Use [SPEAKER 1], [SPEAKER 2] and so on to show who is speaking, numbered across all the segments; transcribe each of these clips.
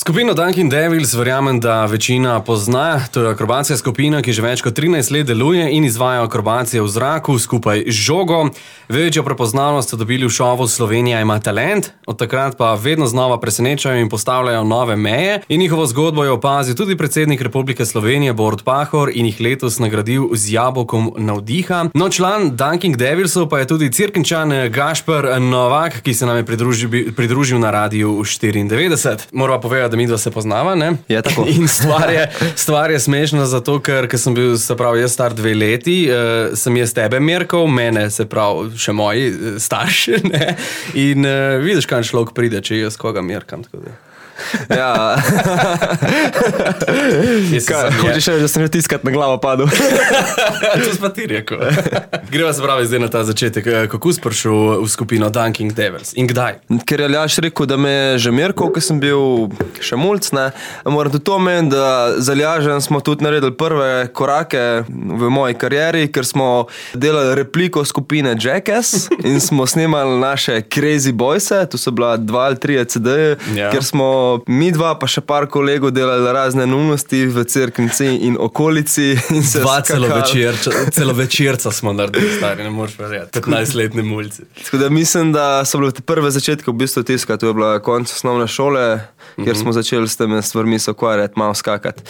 [SPEAKER 1] Skupino Dunkin Devils verjamem, da večina pozna. To je akrobatska skupina, ki že več kot 13 let deluje in izvaja akrobacije v zraku skupaj z žogo. Večjo prepoznavnost so dobili v šovu Slovenija ima talent, od takrat pa vedno znova presenečajo in postavljajo nove meje. In njihovo zgodbo je opazil tudi predsednik Republike Slovenije Borut Pahor in jih letos nagradil z jabolkom navdiha. No, član Dunkin Devilsov pa je tudi Cerkničan Gašper Novak, ki se nam je pridružil na Radiu 94. Morava povedati, da midva se poznava, ne?
[SPEAKER 2] Je tako.
[SPEAKER 1] In stvar je smešna zato, ker sem bil, se pravi, jaz star 2 leti, sem jaz tebe merkal, mene, se pravi, še moji starši, ne? In vidiš, kaj človek pride, če jaz koga merkam, tako da.
[SPEAKER 2] Ja. Hočeš reči, da sem tiskat na glavo padel?
[SPEAKER 1] To si pa ti rekel. Greva se pravi zdaj na ta začetek. Kako si prišel v skupino Dunkin Devils in kdaj?
[SPEAKER 2] Ker je Aljaž rekel, da me je že merkal, ko sem bil še mulc, ne. Moram tudi to meni, da z Aljažem smo tudi naredili prve korake v moji karieri, ker smo delali repliko skupine Jackass in smo snimali naše Crazy Boyse, tu so bila 2 ali 3 CD-je, ker smo mi dva pa še par kolegov delali razne neumnosti v Cerknici in okolici. In se
[SPEAKER 1] celovečerca smo naredili, stari, ne moreš verjeti. 15-letni mulci.
[SPEAKER 2] Tako da mislim, da so bile te prve začetke v bistvu tiska. To je bila konec osnovne šole, kjer smo začeli s temi stvarmi se ukvarjati, malo skakati.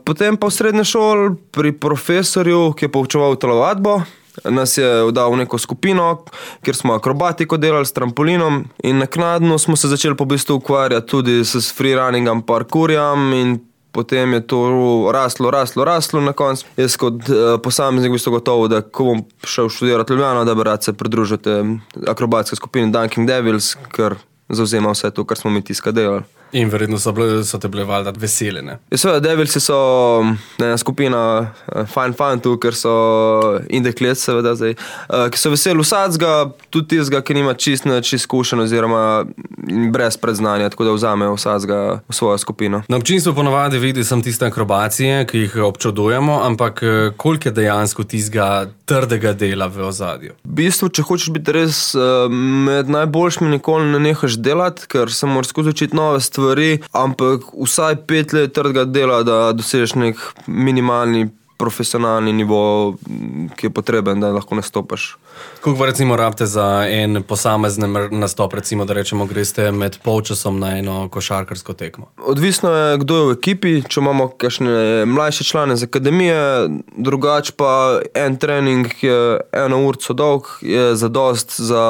[SPEAKER 2] Potem pa v srednji šoli pri profesorju, ki je poučeval telovadbo, nas je dal v neko skupino, kjer smo akrobatiko delali s trampolinom in naknadno smo se začeli po bistvu ukvarjati tudi s freerunningom, parkourjem in potem je to raslo na koncu. Jaz kot posameznik v bistvu gotovo, da ko bom šel študirati Ljubljano, da bi rad se pridružil te akrobatske skupine Dunkin Devils, ker zavzema vse to, kar smo mi tiska delali.
[SPEAKER 1] In verjetno so te bile valjda vesele, ne?
[SPEAKER 2] Ja, seveda, Devilsi so skupina fajn fantov, ker so in deklet seveda zdaj, ki so veseli vsadzga, tudi tistega, ki nima čist izkušenj oziroma brez predznanja, tako da vzamejo vsadzga v svojo skupino.
[SPEAKER 1] Na občinstvu ponavadi vidi sem tiste akrobacije, ki jih občudujemo, ampak koliko je dejansko tistega trdega dela v ozadju?
[SPEAKER 2] V bistvu, če hočeš biti res med najboljšimi, nikoli ne nehaš delati, ker se moraš skozi učiti nove stvari, ampak vsaj 5 let trdega dela, da dosežeš nek minimalni profesionalni nivo, ki je potreben, da lahko nastopaš.
[SPEAKER 1] Koliko recimo rabite za en posamezen nastop, recimo, da rečemo, greste med polčasom na eno košarkarsko tekmo?
[SPEAKER 2] Odvisno je, kdo je v ekipi, če imamo kakšne mlajše člane z akademije, drugače pa en trening je 1 urco dolg, je zadost za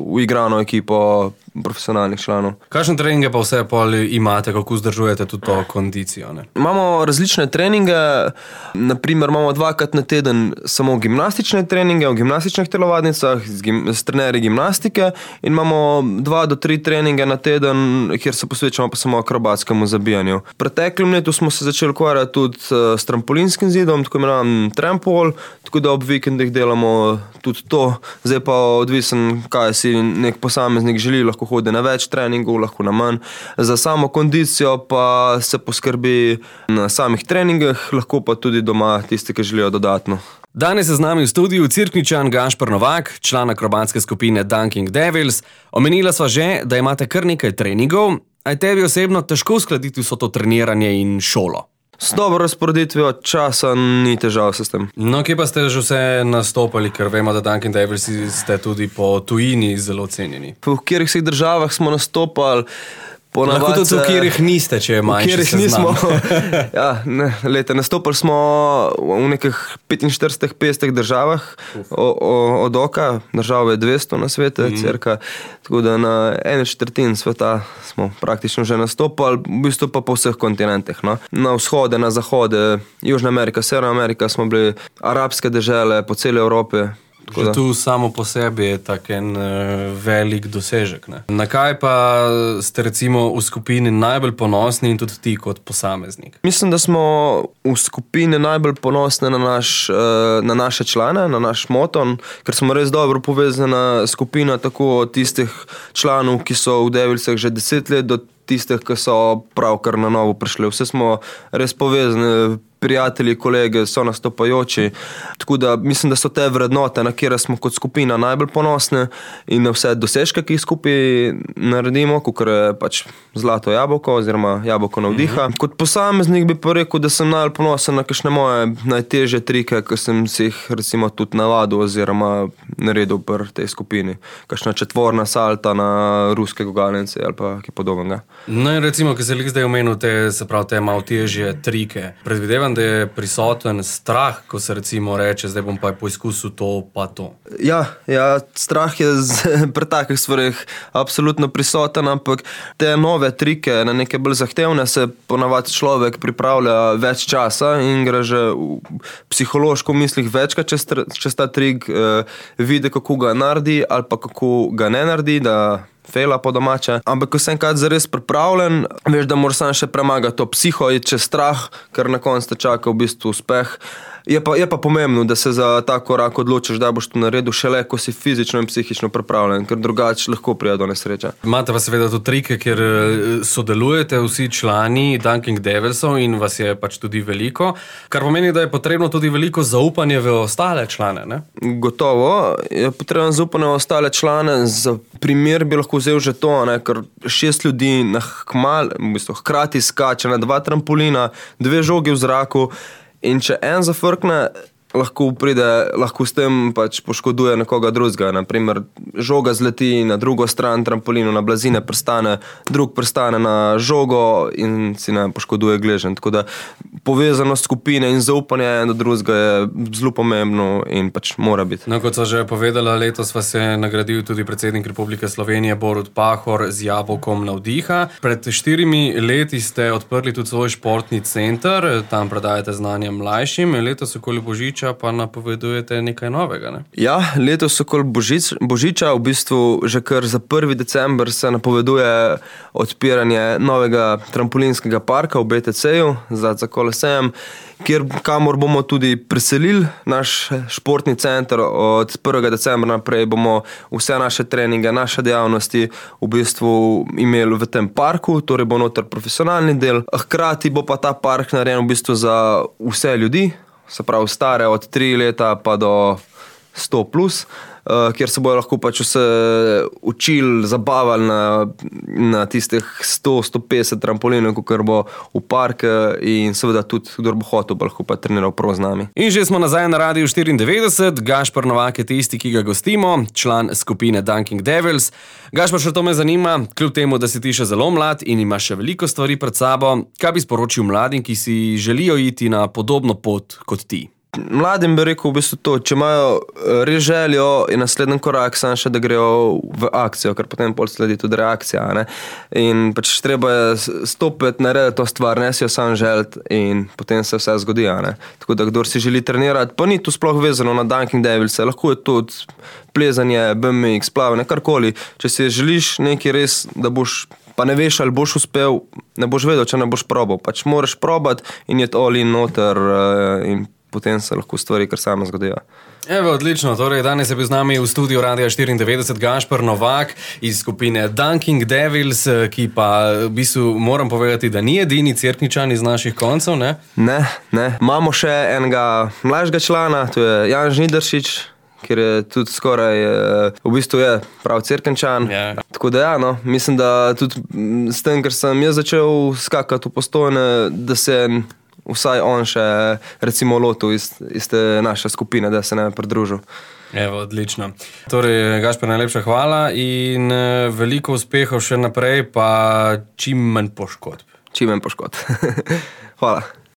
[SPEAKER 2] uigrano ekipo profesionalnih članov.
[SPEAKER 1] Kakšne treninge pa vse pol imate, kako vzdržujete tudi to kondicijo, ne?
[SPEAKER 2] Imamo različne treninge, naprimer imamo 2-krat na teden samo gimnastične treninge v gimnastičnih telovadnicah s trenerji gimnastike in imamo 2 do 3 treninge na teden, kjer se posvečamo pa samo akrobatskemu zabijanju. V preteklem letu smo se začeli ukvarjati tudi s trampolinskim zidom, tako imenovan trampol, tako da ob vikendih delamo tudi to. Zdaj pa odvisen, kaj si nek posameznik želi, lahko hodi na več treningov, lahko na manj. Za samo kondicijo pa se poskrbi na samih treningih, lahko pa tudi doma tisti, ki želijo dodatno.
[SPEAKER 1] Danes je z nami v studiu Cerkničan Gašper Novak, član akrobatske skupine Dunkin Devils. Omenila sva že, da imate kar nekaj treningov, a je tebi osebno težko uskladiti vso to treniranje in šolo?
[SPEAKER 2] S dobro razporeditvijo časa ni težav s tem.
[SPEAKER 1] No, kje pa ste že vse nastopali, ker vemo, da Dunkin Devils ste tudi po tujini zelo cenjeni?
[SPEAKER 2] V katerih vseh državah smo nastopali,
[SPEAKER 1] lahko tudi v katerih niste, če je manjši seznam.
[SPEAKER 2] Ja, nastopali smo v nekih 45-50 državah od oka, držav je 200 na svete, cirka, tako da na 1/4 sveta smo praktično že nastopali, v bistvu pa po vseh kontinentih, no. Na vzhode, na zahode, Južna Amerika, Severna Amerika smo bili, arabske dežele po celi Evropi.
[SPEAKER 1] Že tu samo po sebi je tak en velik dosežek, ne? Na kaj pa ste recimo v skupini najbolj ponosni in tudi ti kot posameznik?
[SPEAKER 2] Mislim, da smo v skupini najbolj ponosni na naše člane, na naš moton, ker smo res dobro povezana skupina, tako od tistih članov, ki so v Devilsih že 10 let, do tistih, ki so pravkar na novo prišli. Vse smo res povezani prijatelji, kolege, so nastopajoči. Tako da mislim, da so te vrednote, na kjer smo kot skupina najbolj ponosni in na vse dosežke, ki jih skupaj naredimo, kakor je pač zlato jabolko oziroma jabolko navdiha. Kot posameznik bi pa rekel, da sem najbolj ponosen na kakšne moje najtežje trike, ki sem si jih recimo tudi navadil oziroma naredil pri tej skupini. Kakšna četvorna salta na ruske gugalnice ali pa kaj podobnega.
[SPEAKER 1] No in recimo, ki se zdaj omenil te malo težje trike. Predvidevam, da je prisoten strah, ko se recimo reče, zdaj bom pa poizkusil to pa to.
[SPEAKER 2] Ja, strah je pri takih stvareh absolutno prisoten, ampak te nove trike, na neke bolj zahtevne, se ponavadi človek pripravlja več časa in gre že v psihološko mislih večkrat čez ta trik, vidi, kako ga naredi ali pa kako ga ne naredi, da fejla po domače. Ampak ko sem enkrat zares pripravljen, veš, da moraš sam še premagati to psiho, iti čez strah, ker na koncu te čaka v bistvu uspeh. Je pa pomembno, da se za ta korak odločiš, da boš to naredil šele, ko si fizično in psihično pripravljen, ker drugače lahko pride do nesreče.
[SPEAKER 1] Imate pa seveda tudi trike, ker sodelujete vsi člani Dunking Devilsov in vas je pač tudi veliko, kar pomeni, da je potrebno tudi veliko zaupanje v ostale člane, ne?
[SPEAKER 2] Gotovo, je potrebno zaupanje v ostale člane. Za primer bi lahko vzel že to, ne? Ker 6 ljudi hkrati skače na 2 trampolina, 2 žogi v zraku. In če en zafrkne, lahko s tem pač poškoduje nekoga drugega. Naprimer, žoga zleti na drugo stran trampolinu, na blazine prstane, drug prstane na žogo in si ne poškoduje gleženj. Tako da povezanost skupine in zaupanje do drugega je zelo pomembno in pač mora biti.
[SPEAKER 1] No, kot so že povedala, letos vas je nagradil tudi predsednik Republike Slovenije Borut Pahor z jabolkom navdiha. Pred 4 leti ste odprli tudi svoj športni center, tam predajate znanje mlajšim. Letos okoli Božiča pa napovedujete nekaj novega, ne?
[SPEAKER 2] Ja, letos okoli Božiča, v bistvu že kar za 1. december se napoveduje odpiranje novega trampolinskega parka v BTC-ju za Kolosejem, kamor bomo tudi preselili naš športni center. Od 1. decembra naprej bomo vse naše treninge, naše dejavnosti v bistvu imeli v tem parku, torej bo noter profesionalni del. Hkrati bo pa ta park narejen v bistvu za vse ljudi, se pravi stare od 3 leta pa do 100 plus, kjer se bojo lahko pač vse učili, zabavali na tistih 100-150 trampolinov, kar bo v park in seveda tudi, kdor bo hotel, bo lahko pa treniral prav z nami.
[SPEAKER 1] In že smo nazaj na Radiu 94, Gašper Novak je tisti, ki ga gostimo, član skupine Dunking Devils. Gašper, še to me zanima, kljub temu, da si ti še zelo mlad in imaš še veliko stvari pred sabo, kaj bi sporočil mladim, ki si želijo iti na podobno pot kot ti?
[SPEAKER 2] Mladim bi rekel v bistvu to, če imajo res željo in naslednji korak samo še, da grejo v akcijo, ker potem pol sledi tudi reakcija, ne? In pač treba je stopiti, narediti to stvar, ne si jo sam želiti in potem se vse zgodi, ne? Tako da kdor si želi trenirati, pa ni to sploh vezano na Dunking Devils, lahko je tudi plezanje, BMX, plavanje, karkoli. Če si želiš nekaj res, da boš, pa ne veš, ali boš uspel, ne boš vedel, če ne boš probal. Pač moraš probati in je all in noter in potem se lahko stvari kar same zgodijo.
[SPEAKER 1] Evo, odlično. Torej, danes je bil z nami v studiu Radia 94 Gašper Novak iz skupine Dunking Devils, ki pa v bistvu moram povedati, da ni edini Cerkničan iz naših koncev, ne?
[SPEAKER 2] Ne. Imamo še enega mlajšega člana, to je Jan Žnidaršič, ker je tudi skoraj, v bistvu je prav Cerkničan. Yeah. Tako da ja, no, mislim, da tudi s tem, ker sem jaz začel skakati v Postojne, da se vsaj on še recimo lotil iz te naše skupine, da se ne pridružil.
[SPEAKER 1] Evo, odlično. Torej, Gašper, najlepša hvala in veliko uspehov še naprej, pa čim manj poškodb.
[SPEAKER 2] Čim manj poškodb. Hvala.